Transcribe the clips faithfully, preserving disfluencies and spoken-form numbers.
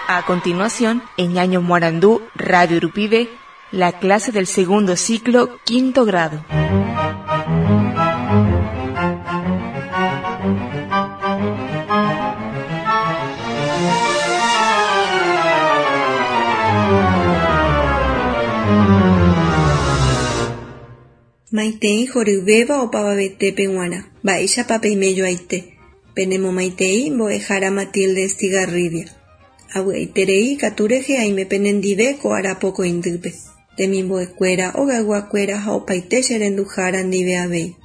A continuación, en Ñaño Morandú, Radio Urupide, la clase del segundo ciclo, quinto grado. Maitei horyvéva opavavetépe g̃uarã. Mba'éichapa peimejoaite. Penemomaitei mbo'ehára Matilde Estigarribia. Avy'aiterei ikatu rehe aime penendive ko arapokõindýpe. Temimbo'ekuéra, ogayguakuéra ha opaite che renduhára ndive avei.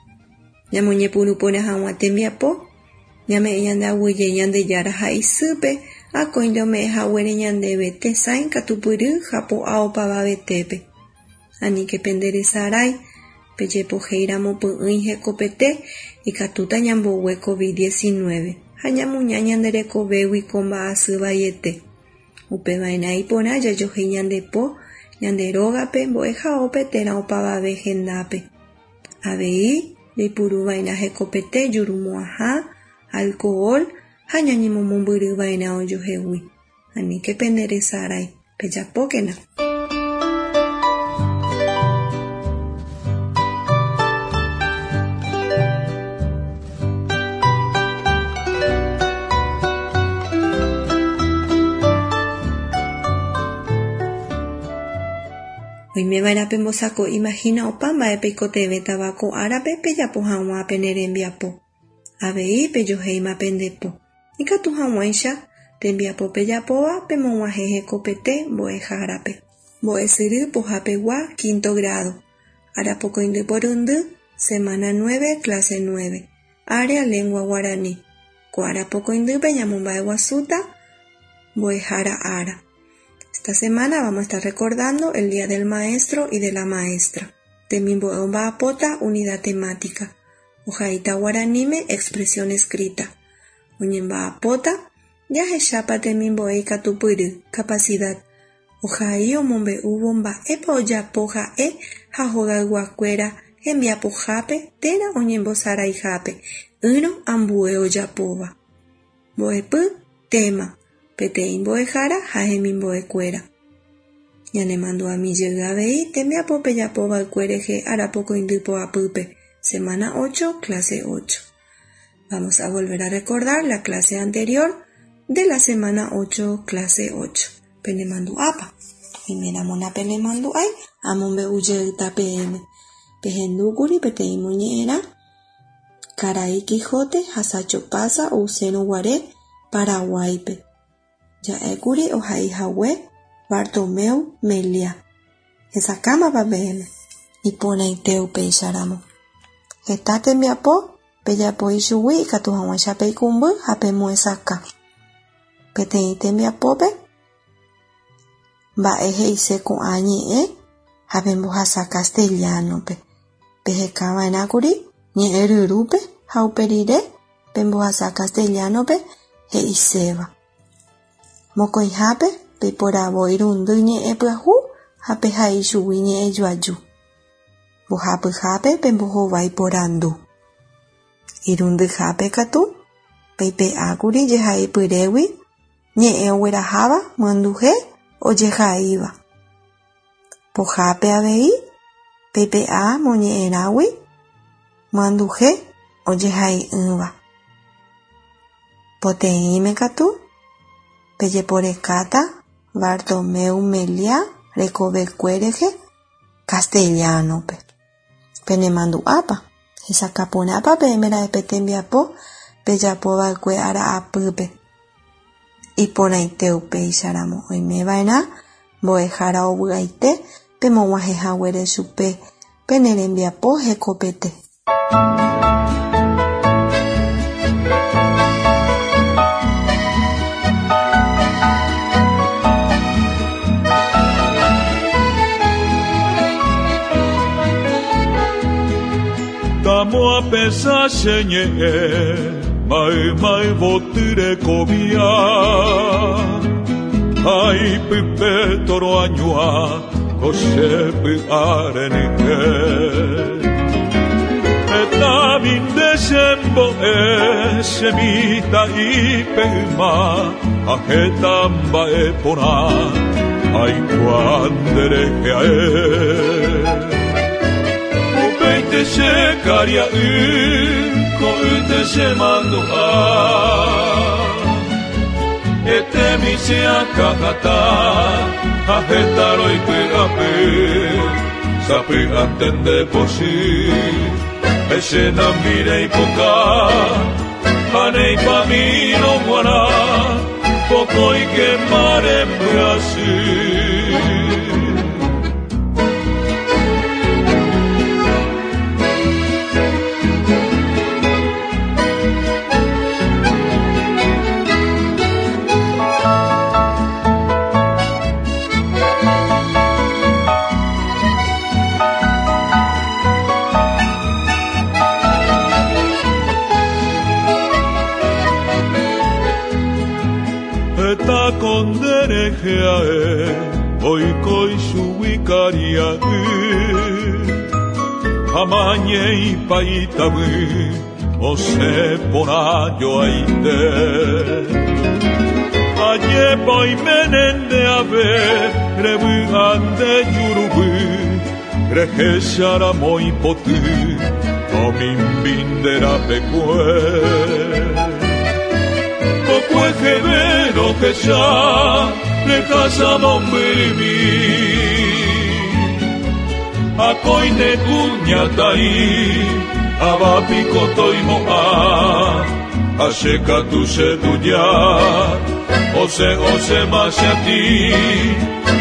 Ñamoñepyrũporã hag̃ua tembiapo, ñame'ẽ ñande aguyje Ñandejára ha isýpe akóinte ome'ẽhaguére ñandéve tesãi katupyry ha po'a opavavetépe. Aníke penderesarái, pejepohéiramo py'ỹi hekopete ikatúta ñambogue COVID diecinueve ha ñamuña ñande rekovégui ko mba'asy vaiete. Upeva'erã iporã jajohéi ñande po, ñande rógape, mbo'ehaópe térã opavave hendápe. Avei jaipuruva'erã hekopete jurumo'ãha, alcohol ha ñañemomombyryva'erã ojohegui. Aníke penderesarái, pejapókena. Oimeva'erã pembosako imagina opa mba'e peikotevẽtava ko árape pejapo hag̃ua pene rembiapo. Avei pejohéima pendepo. Ikatu hag̃uáicha tembiapo pejapóva pemog̃uahẽ hekopete mbo'ehárape. Mbo'esyry pohapegua quinto grado. Arapokõindy porundy, semana nueve, clase nueve. Área lengua guaraní. Ko arapokõindýpe ñamomba'eguasúta mbo'ehára ára. Esta semana vamos a estar recordando el Día del Maestro y de la Maestra. Temimbo'e omba'apóta unidad temática. Ohaíta guaraníme expresión escrita. Oñemba'apóta jahechápa temimbo'e ikatupyry, capacidad. Ohai omombe'úvo mba'épa ojapo ha'e ha hogayguakuéra hembiapohápe térã oñembosaraihápe ỹrõ ambue ojapóva. Mbo'epy tema. Peteĩ mbo'ehára ha hemimbo'ekuéra. Ñanemandu'amijey avei tembiapo pejapova'ekue rehe arapokõindy poapýpe, semana ocho, clase ocho. Vamos a volver a recordar la clase anterior de la semana ocho, clase ocho. Penemandu'ápa. Oiméramo penemandu'ái amombe'ujeýta peẽme. Pehendúkuri peteĩ moñe'ẽrã Karai Quijote ha Sancho Panza ousérõguare Paraguáipe. Ja'ékuri ohaihague Bartomeu Meliá. Hesakãmapa peẽme. Iporãite upéicharamo. Heta tembiapo pejapo ichugui ikatu hag̃uáicha peikũmby ha pemohesakã. Peteĩ tembiapópe mba'e he'ise ko'ã ñe'ẽ ha pembohasa castellano-pe. Pehekava'erãkuri ñe'ẽ ryrúpe ha uperire pembohasa castellano-pe he'iséva. Mokõihápe peiporavo irundy ñe'ẽ pyahu ha pehai chugui ñe'ẽ joaju. Mbohapyhápe pembohovái porandu. Irundyhápe katu peipe'ákuri jehaipyrégui ñe'ẽ ogueraháva myanduhe ojehaíva. Pohápe avei peipe'a moñe'ẽrãgui myanduhe ojehai'ỹva. Poteĩme katu pejeporekáta Bartomeu Meliá rekovekue rehe castellano-pe. Penemandu'ápa hesakãporãpa peẽme pe tembiapo pejapova'ekue ara'apýpe. Iporãite upéicharamo oimeva'erã mbo'ehára ovy'aite pemog̃uahẽhaguére chupe pene rembiapo hekopete. Tamo a pesar ñe'ẽ mai mai votyre kovia Aipype toro añua ko che py'arenyke Eta minde Ndésembo'e chemitã'ipe yma ha heta mba'e porã aikuaa nderehe ae. Upeite che karia'y ko'ýte chemandu'a etemi che akãhatã ha heta roipy'apy sapy'ánte ndepochy Echenamireipoka haneipamírõ g̃uarã pokõike marembyasy. Konderejeae oiko ichugui karia'y amañeipaitavy osẽ porã joaite. Ajépa oiméne ndeave revy'a nde juruvy rehecharamo ipoty omimbi nde rapekue. Kokueheve rohecha rehasa mombyrymi akóinte kuñataĩ avapiko toimo'ã ha che katu chetuja osẽ osẽma cheatĩ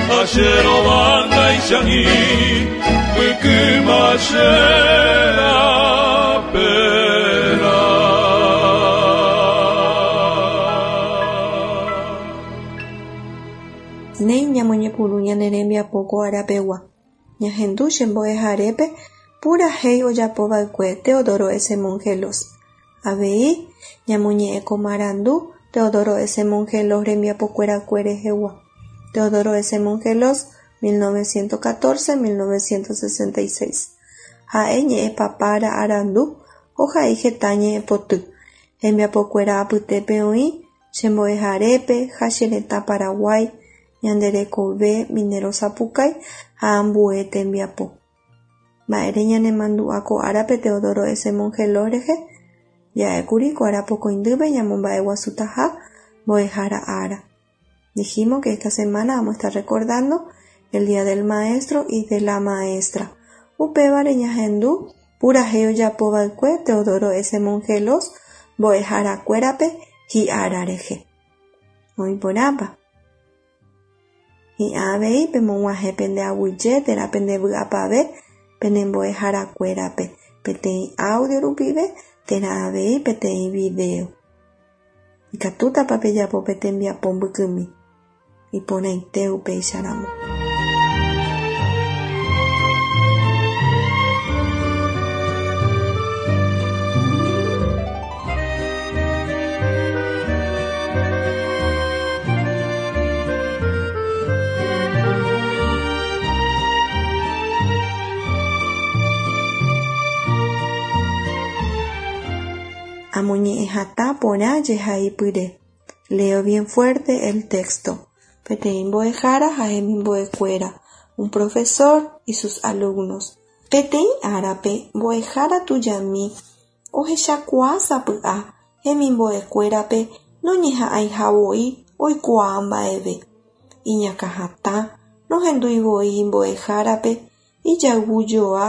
ha che rovangaichag̃ui mbykyma che raperã. Néi ñamoñepyrũ ñane rembiapo ko arapegua. Ñahendu che mbo'eharépe purahéi ojapova'ekue Teodoro S. Mongelós. Avei ñamoñe'ẽ ko marandu Teodoro S. Mongelós rembiapokuerakue rehegua. Teodoro S. Mongelós mil novecientos catorce mil novecientos sesenta y seis. Ha'e ñe'ẽpapára arandu ohai heta ñe'ẽpoty. Hembiapokuéra apytépe oĩ che mbo'eharépe ha che retã Paraguái, ñanderekove Minero Sapukái ha ambue tembiapo. Mba'ére ñanemandu'a ko árape Teodoro S. Mongelós rehe ja'ékuri ko arapokõindýpe ñamomba'eguasutaha mbo'ehára ára. Dijimos que esta semana vamos a estar recordando el Día del Maestro y de la Maestra. Upévare ñahendu purahéi ojapova'ekue Teodoro S. Mongelós mbo'eharakuérape hi'ára rehe. Oĩporãpa. Hi'ã avei pemog̃uahẽ pende aguyje térã pende vy'apave pene mbo'eharakuérape peteĩ audio rupive térã avei peteĩ video. Ikatútapa pejapo pe tembiapo mbykymi. Iporãite upéicharamo. Amoñe'ẽhatã porã jehaipyre. Leo bien fuerte el texto. Peteĩ mbo'ehára ha hemimbo'ekuéra, un profesor y sus alumnos. Peteĩ árape mbo'ehára tujami ohechakuaa sapy'a hemimbo'ekuérape noñeha'ãihavoi oikuaa mba'eve. Iñakãhatã nohenduivoi mbo'ehárape ijayvujoa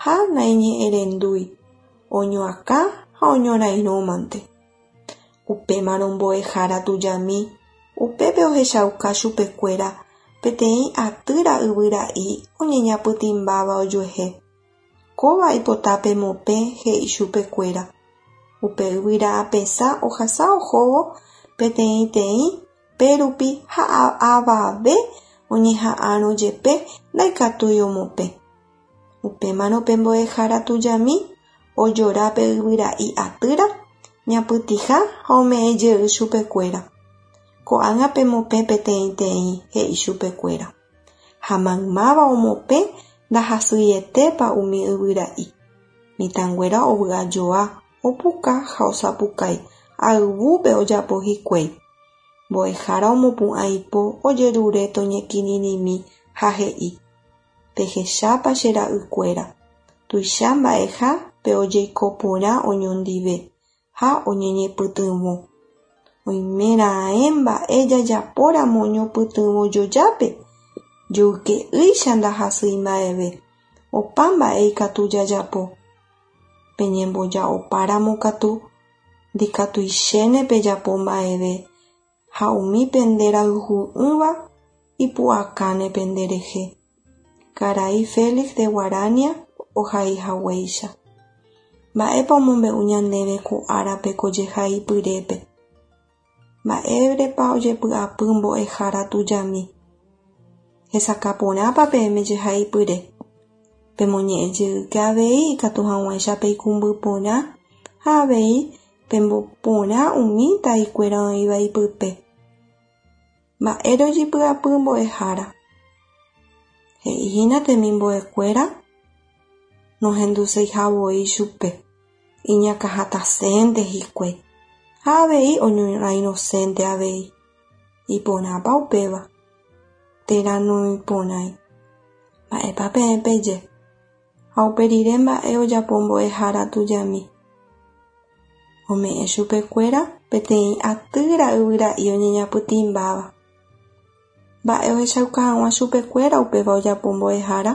ha naiñe'ẽrendúi. Oñoakã ha oñorairõmante. Upémarõ mbo'ehára tujami upépe ohechauka chupekuéra peteĩ atýra yvyra'i oñeñapytĩmbáva ojuehe. Kóva oipota pemopẽ he'i chupekuéra. Upe yvyra apesã ohasa ohóvo peteĩteĩ pérupi ha avave oñeha'ãrõ jepe ndaikatúi omopẽ. Upémarõ pe mbo'ehára tujami ojora pe yvyra'i atýra ñapytĩha ha ome'ẽjey chupekuéra. Ko'ág̃a pemopẽ peteĩteĩ he'i chupekuéra. Ha maymáva omopẽ ndahasyietépa umi yvyra'i. Mitãnguéra ovy'ajoa Opuka ha osapukái ayvúpe ojapo hikuái. Mbo'ehára omopu'ã ipo ojerure toñekirirĩmi ha he'i: Pehechápa che ra'ykuéra, tuicha mba'eha pe ojeiko porã oñondive ha oñoñepytyvõ. Oimeraẽ mba'e jajapóramo ñopytyvõjojápe, joyke'ýicha ndahasýi mba'eve, opa mba'e ikatu jajapo. Peñemboja'opáramo katu ndikatuichéne pejapo mba'eve ha umi penderayhu'ỹva ipu'akáne penderehe. Karai Félix de Guarania ohaihaguéicha. Mba'épa omombe'u ñandéve ko árape ko jehaipyrépe. Mba'érepa ojepy'apy mbo'ehára tujami. Hesakãporãpa peẽme jehaipyre. Pemoñe'ẽjeýke avei ikatu hag̃uáicha peikũmby porã ha avei pemboporã umi taikuéra oĩva ipype. Mba'ére ojepy'apy mbo'ehára. He'íhina temimbo'ekuéra nohenduseihavoi chupe, iñakãhatãsénte hikuái ha avei oñorairõsénte avei. Iporãpa upéva térã noĩporãi. Mba'épa peẽ peje. Ha uperire mba'e ojapo mbo'ehára tujami. Ome'ẽ chupekuéra peteĩ atýra yvyra'i oñeñapytĩmbáva. Mba'e ohechauka hag̃ua chupekuéra upéva ojapo mbo'ehára.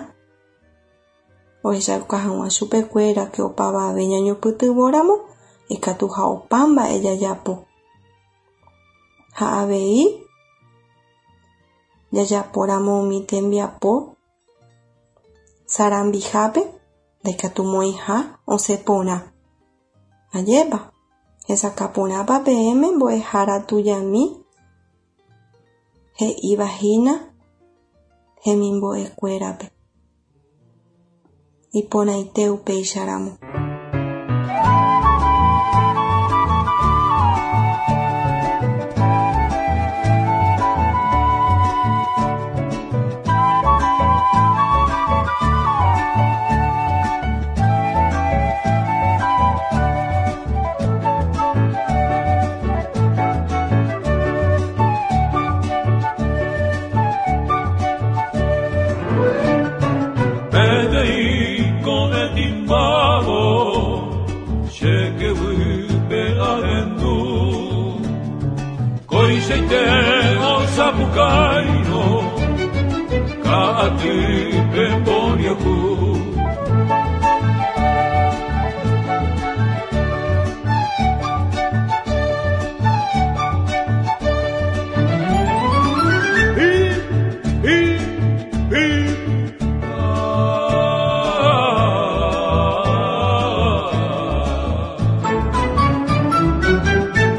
Ohechauka hag̃ua chupekuéra ke opavave ñañopytyvõramo ikatuha opa mba'e jajapo. Ha avei jajapóramo umi tembiapo sarambihápe ndaikatumo'ãiha osẽ porã. Ajépa, hesakãporãpa peẽme mbo'ehára tujami he'ivahína hemimbo'ekuérape. Iporãite upéicharamo. Sapucairo, Kaati Pemboriaku. Hi, hi, hi. Ah.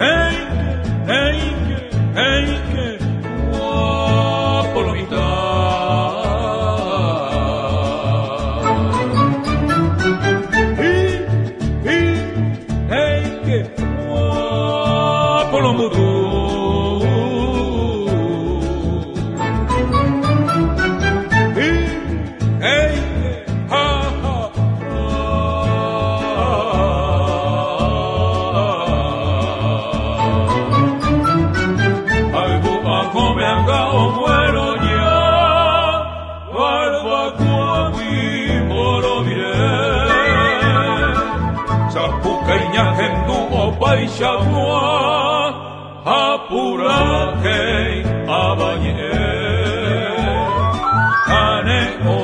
Hey, hey, hey, hey. Apurake abañe Kane o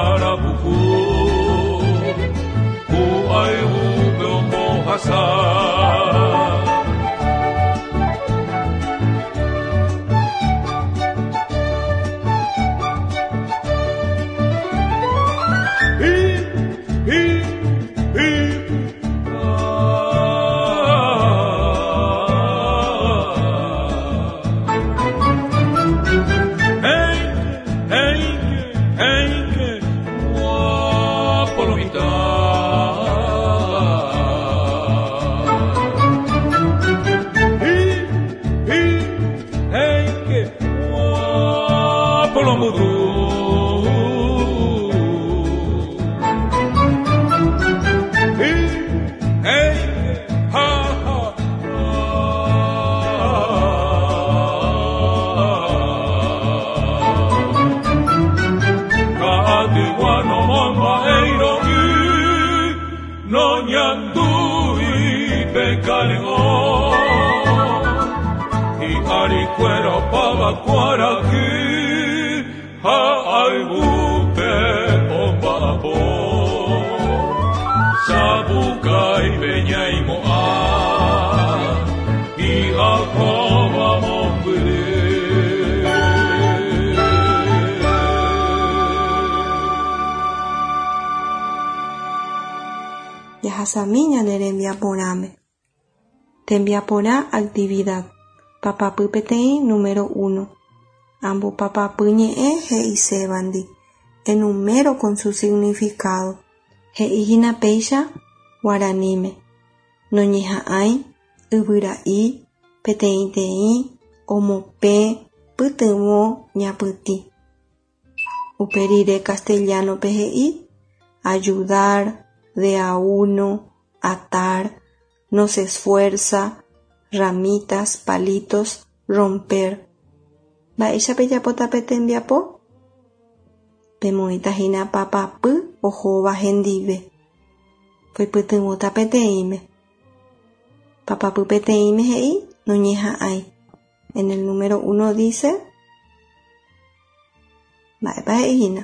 arabuku Ku aibu beombo hasa. Hi, hi, hi. Ah. Guano momba'eirõ'i noñandúi pekarego hi'arikuéra opavakuaraky ha ayvúpe omba'apo sapukaipe ñaimo'ã hi'akóva mombyry. Jahasami ñane rembiaporãme. Tembiaporã actividad. Papapy peteĩ número uno. Ambopapapy ñe'ẽ he'isévandi. Enumero con su significado. He'íhina péicha guaraníme. Noñeha'ãi, yvyra'i, peteĩteĩ, omopẽ, pytyvõ, ñapytĩ. Upe rire castellano-pe he'i ayudar, de a uno, atar, no se esfuerza, ramitas, palitos, romper. Mba'éicha pejapóta pe tembiapo? Pemoĩtahína papapy ohóva hendive. Poipytyvõta peteĩme. Papapy peteĩme he'i noñeha'ãi. En el número uno dice mba'épa he'íhina.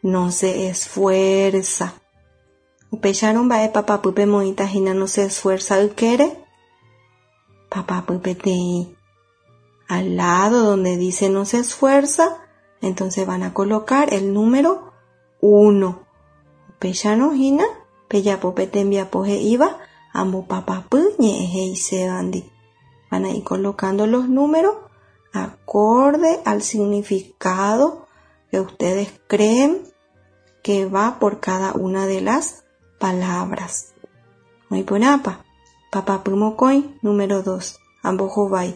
No se esfuerza. Upéicharõ mba'e papapy pemoĩtahína no se esfuerza ykére. Papapy peteĩ. Al lado donde dice no se esfuerza, entonces van a colocar el número uno. Upéicharõ hína pejapo pe tembiapo he'íva ambopapapy ñe'ẽ he'isévandi. Van a ir colocando los números acorde al significado que ustedes creen que va por cada una de las palabras. Oĩporãpa. Papapy mokõi, número dos. Ambohovái.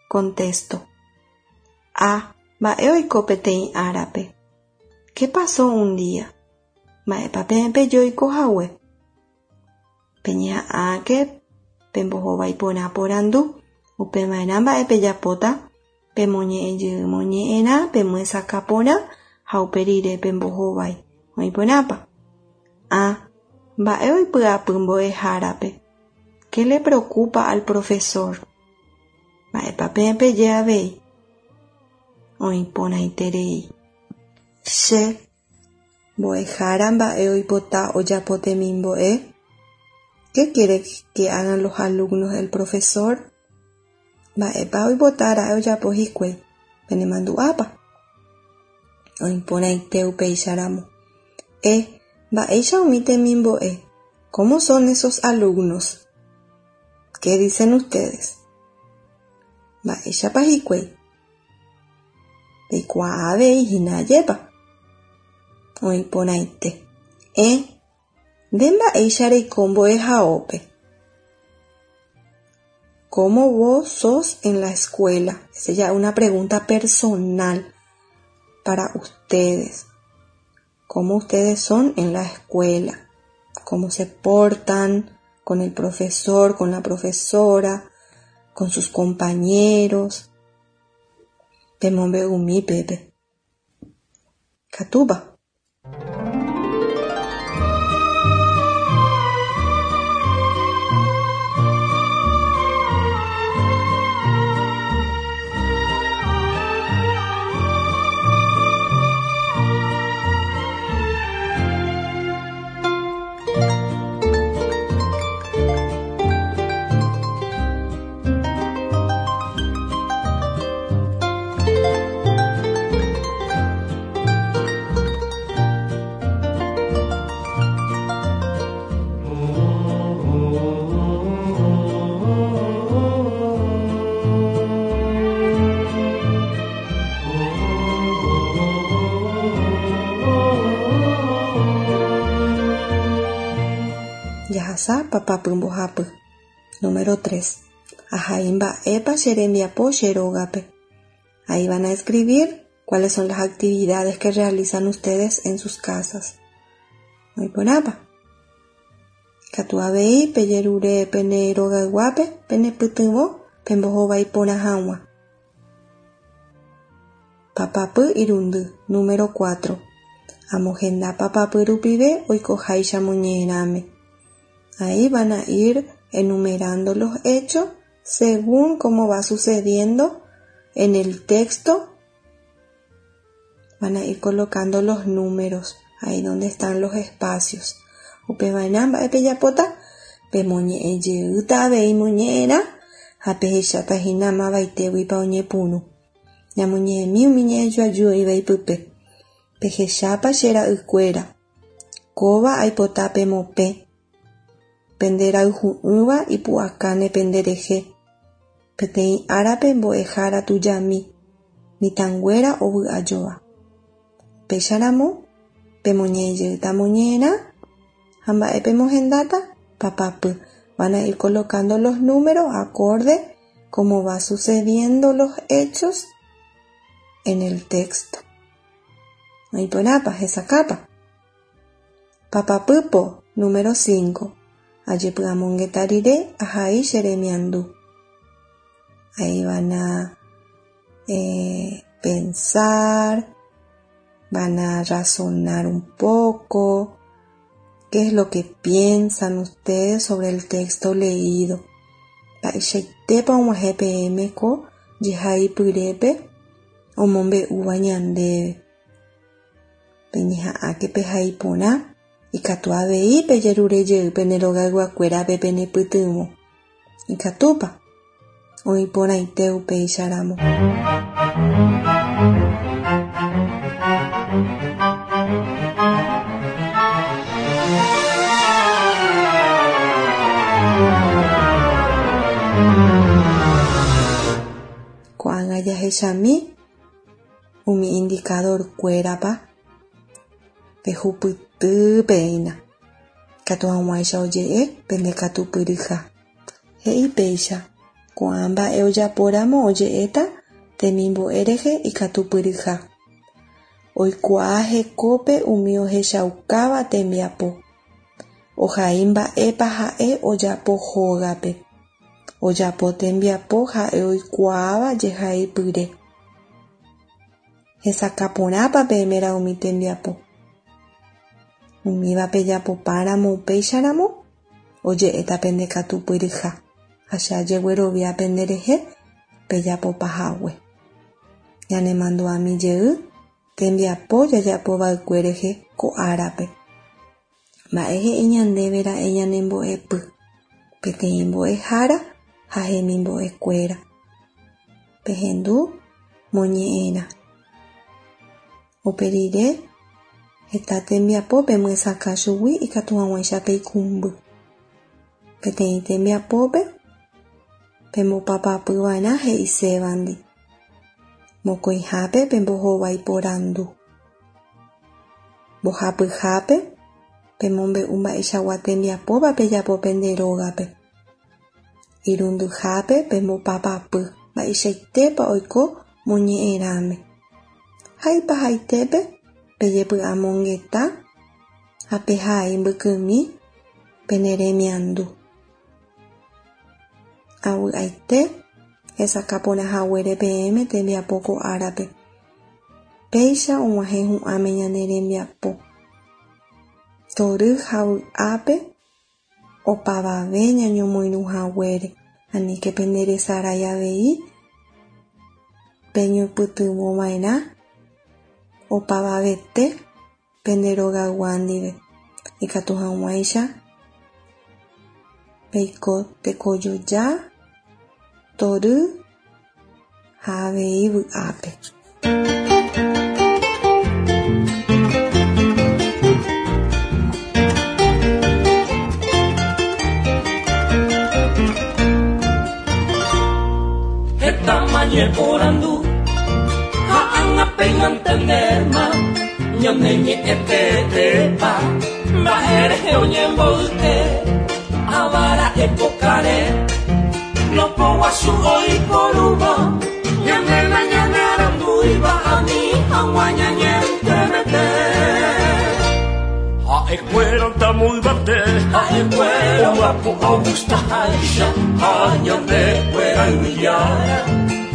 Contesto. A. Mba'e oiko peteĩ árape. ¿Qué pasó un día? Mba'épa peẽ peje oikohague. Peñeha'ãke pembohovái porã porandu. Upeva'erã mba'e pejapóta pemoñe'ẽjey moñe'ẽrã pemyesakã porã ha upe rire pembohovái. Oĩporãpa. A. Mba'e oipy'apy mbo'ehárape. ¿Qué le preocupa al profesor? Mba'épa peẽ peje avei. Oĩporãiterei. Che mbo'ehára mba'e oipota ojapo temimbo'e. ¿Qué quiere que hagan los alumnos el profesor? Mba'épa oipotára'e ojapo hikuái. Penemandu'ápa. Oĩporãite upéicharamo. E. Mba'éicha umi temimbo'e. ¿Cómo son esos alumnos? ¿Qué dicen ustedes? Mba'éichapa hikuái. Peikuaa avei hína ajépa. Oĩporãite. E. Nde mba'éicha reiko mbo'ehaópe. ¿Cómo vos sos en la escuela? Esa ya es una pregunta personal para ustedes. ¿Cómo ustedes son en la escuela? ¿Cómo se portan con el profesor, con la profesora, con sus compañeros? Pemombe'umi pépe. Katúpa. Jahasa papapy mbohapy. Número tres. Ahai mba'épa che rembiapo che rógape. Ahí van a escribir cuáles son las actividades que realizan ustedes en sus casas. Oĩporãpa. Katu avei pejerure pene rogayguápe penepytyvõ pembohovái porã hag̃ua. Papapy irundy. Número cuatro. Amohenda papapy rupive oikoháicha moñe'ẽrãme. Ahí van a ir enumerando los hechos según cómo va sucediendo en el texto. Van a ir colocando los números ahí donde están los espacios. Upevarã mba'e pejapóta pemoñe'ẽ jeýta avei moñe'ẽrã ha pehecháta hína mavaitéguipa oñepyrũ. Ñamoñe'ẽmi umi ñe'ẽjoaju oĩva ipype. Pehechápa che ra'ykuéra. Kóva aipota pemopẽ. Penderayhu'ỹva ipu'akáne penderehe. Peteĩ árape mbo'ehára tujami. Mitãnguéra ovy'ajoa. Upéicharamo pemoñe'ẽ jeýta moñe'ẽrã ha mba'e pemohendáta papapy. Van a ir colocando los números acorde como va sucediendo los hechos en el texto. Oĩporãpa hesakãpa. Papapýpo número cinco. Ajepy'amongeta rire ahai che remiandu. Ahí van a eh, pensar, van a razonar un poco. ¿Qué es lo que piensan ustedes sobre el texto leído? Mba'eichaitépa og̃uahẽ peẽme ko jehaipyrépe omombe'úva ñandéve. Peñeha'ãke pehai porã ikatu avei pejerure jey pene rogayguakuérape penepytyvõ. Ikatúpa oĩporãite upéicharamo. Ko'ág̃a jahechami umi indicador-kuérapa pehupytýpeína. Ikatu hag̃uáicha oje'e pendekatupyryha. He'i péicha ko'ã mba'e ojapóramo oje'éta temimbo'e rehe ikatupyryha. Oikuaa hekópe umi ohechaukáva tembiapo. Ohai mba'épa ha'e ojapo hógape. Ojapo tembiapo ha'e oikuaáva jehaipyre. Hesakãporãpa peẽme umi tembiapo. Umíva pejapopáramo upéicharamo oje'éta pendekatupyryha ha che ajeguerovia penderehe pejapopahague. Ñanemandu'ami jey tembiapo jajapova'ekue rehe ko árape. Mba'e he'i ñandéve ra'e ñanembo'epy. Peteĩ mbo'ehára ha hemimbo'ekuéra. Pehendu moñe'ẽrã. Upe rire heta tembiapo pemyesakã chugui ikatu hag̃uáicha peikũmby. Peteĩ tembiapópe pembopapapyva'erã he'isévandi. Mokõihápe pembohovái porandu. Mbohapyhápe pemombe'u mba'eichagua tembiapópa pejapo pende rógape. Irundyhápe pembopapapy mba'eichaitépa oiko moñe'ẽrãme. Ha ipahaitépe pejepy'amongeta ha pehai mbykymi pene remiandu. Avy'aite hesakãporãhaguére peẽme tembiapo ko árape. Péicha og̃uahẽ hu'ãme ñane rembiapo. Tory ha vy'ápe opavave ñañomoirũhaguére. Aníke penderesarái avei peñopytyvõva'erã opavavete pende rogaygua ndive. Ikatu hag̃uáicha peiko tekojoja, tory ha avei vy'ápe. Tamañe porandu ha'ág̃a péina entendéma ñane ñe'ẽtetépa mba'e rehe oñemboyke avara epokare lopoguasu oiporúva ñanéna ñane arandúiva ani hag̃ua ñañentemete. Ha'ekuéra tamoyvate ha'ekuéra omba'apo ogustaháicha ha ñandekuéra yvyjára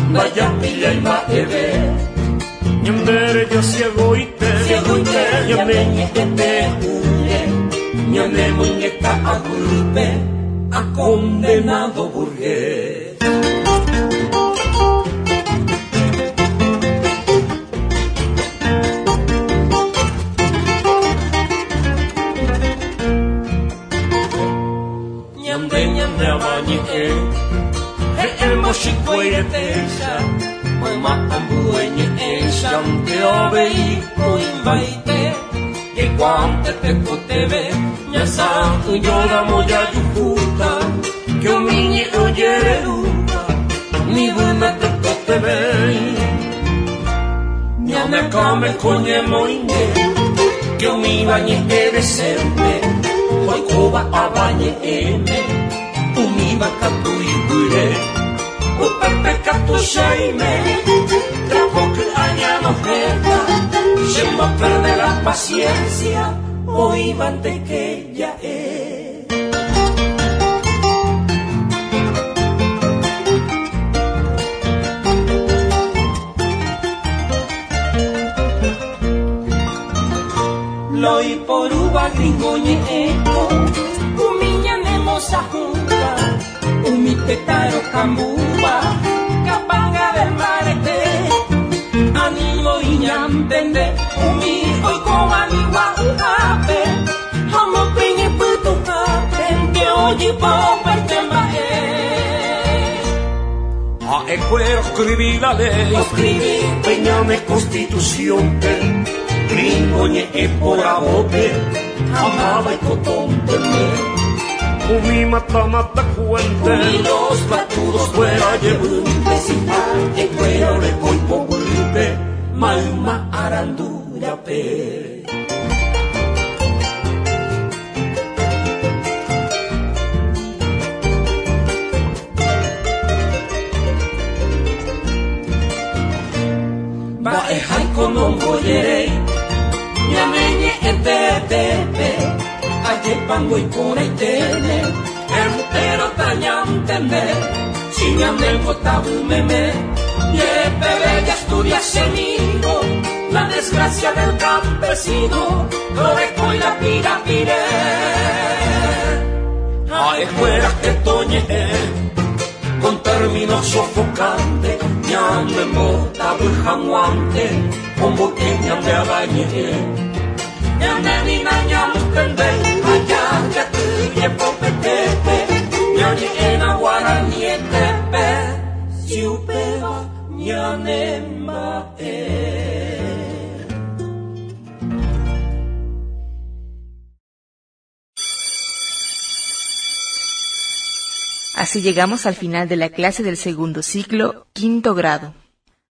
ndajapillái mba'eve. Ñandere ya ciego y te, ciego y te, ñane te une, ñane muñeca agulpe, a condenado burgués. Ñande ñande abañe, el mochico y techa, mamá ambueñe ante obei uimbaite, que cuante te cotebe, ñasa llora moya yujuta, que omiñe oyeruta, ni buena te cotebe, ñame come coñe moine, que omi bañe edesente, oikoba abañe eme, umi bakatu ibure, upepe katu shaime, trapo que añano jeta, se va a perder la paciencia, hoy van de que ya es. Loi por uva gringo ñeco, umiña nemosa junta, umi petaro cambuba, capanga del marete, animo iñantende, umi oikoba ni guaujape, amo piñe putujape, que oye poperte mae. A ecuero escribí la ley, escribí peñame constitución, gringo ñe por abote, amaba y cotónteme. Umi mata mata cuente, umi los batudos fuera llevunte, si pa ecuero le coipo bulte, malma arandura pe. Ba e haiko no boyerei, ñameñe etetepe, aye pango y coraitene, entero tañantende, si ñanengo tabumeme, yepe bella estudia semigo, la desgracia del campesino, loreco y la pira pire. Ay, fuera que toñe, con términos sofocantes, ñande mota bujamuante, con boqueña de abañe. Ñande nina ñantende, allá ya tuye popetepe, ñañe en aguaranietepe, si upeba ñane mae. Así llegamos al final de la clase del segundo ciclo, quinto grado.